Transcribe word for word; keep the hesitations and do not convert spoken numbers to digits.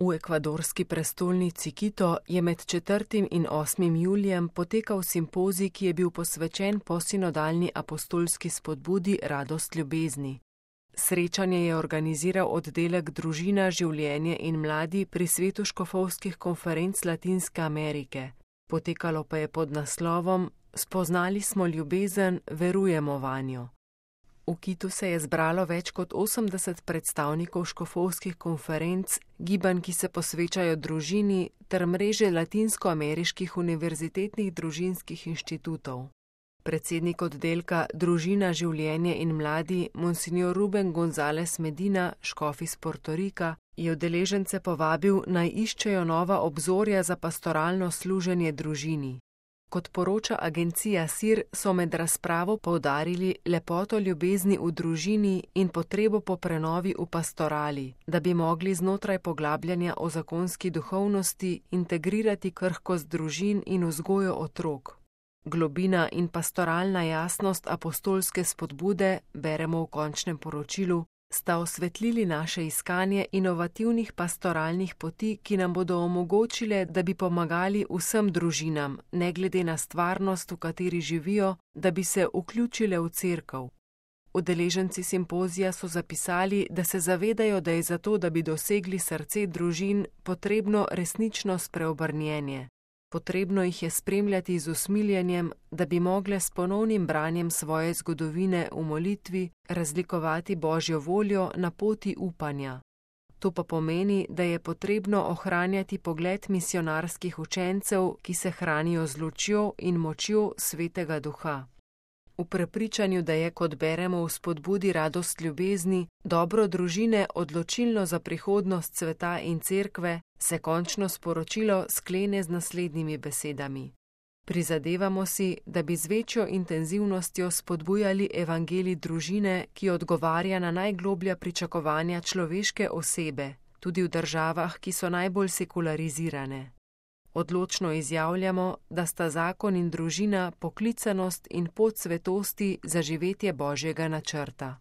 V ekvadorski prestolnici Quito je med četrtim in osmim julijem potekal simpozij, ki je bil posvečen posinodalni apostolski spodbudi Radost ljubezni. Srečanje je organiziral oddelek Družina, življenje in mladi pri svetu škofovskih konferenc Latinske Amerike. Potekalo pa je pod naslovom Spoznali smo ljubezen, verujemo vanjo. V Quitu se je zbralo več kot osemdeset predstavnikov škofovskih konferenc, gibanj, ki se posvečajo družini, ter mreže latinskoameriških univerzitetnih družinskih inštitutov. Predsednik oddelka Družina, življenje in mladi, monsignor Ruben González Medina, škof iz Portorika, je udeležence povabil, naj iščejo nova obzorja za pastoralno služenje družini. Kot poroča agencija S I R, so med razpravo poudarili lepoto ljubezni v družini in potrebo po prenovi v pastorali, da bi mogli znotraj poglabljanja o zakonski duhovnosti integrirati krhkost družin in vzgojo otrok. Globina in pastoralna jasnost apostolske spodbude, beremo v končnem poročilu, sta osvetlili naše iskanje inovativnih pastoralnih poti, ki nam bodo omogočile, da bi pomagali vsem družinam, ne glede na stvarnost, v kateri živijo, da bi se vključile v cerkev. Udeleženci simpozija so zapisali, da se zavedajo, da je zato, da bi dosegli srce družin, potrebno resnično spreobrnjenje. Potrebno jih je spremljati z usmiljenjem, da bi mogle s ponovnim branjem svoje zgodovine v molitvi razlikovati Božjo voljo na poti upanja. To pa pomeni, da je potrebno ohranjati pogled misionarskih učencev, ki se hranijo z lučjo in močjo Svetega Duha. V prepričanju, da je, kot beremo v spodbudi Radost ljubezni, dobro družine odločilno za prihodnost sveta in cerkve, se končno sporočilo sklene z naslednjimi besedami. Prizadevamo si, da bi z večjo intenzivnostjo spodbujali evangelij družine, ki odgovarja na najgloblja pričakovanja človeške osebe, tudi v državah, ki so najbolj sekularizirane. Odločno izjavljamo, da sta zakon in družina poklicanost in pot svetosti za živetje Božjega načrta.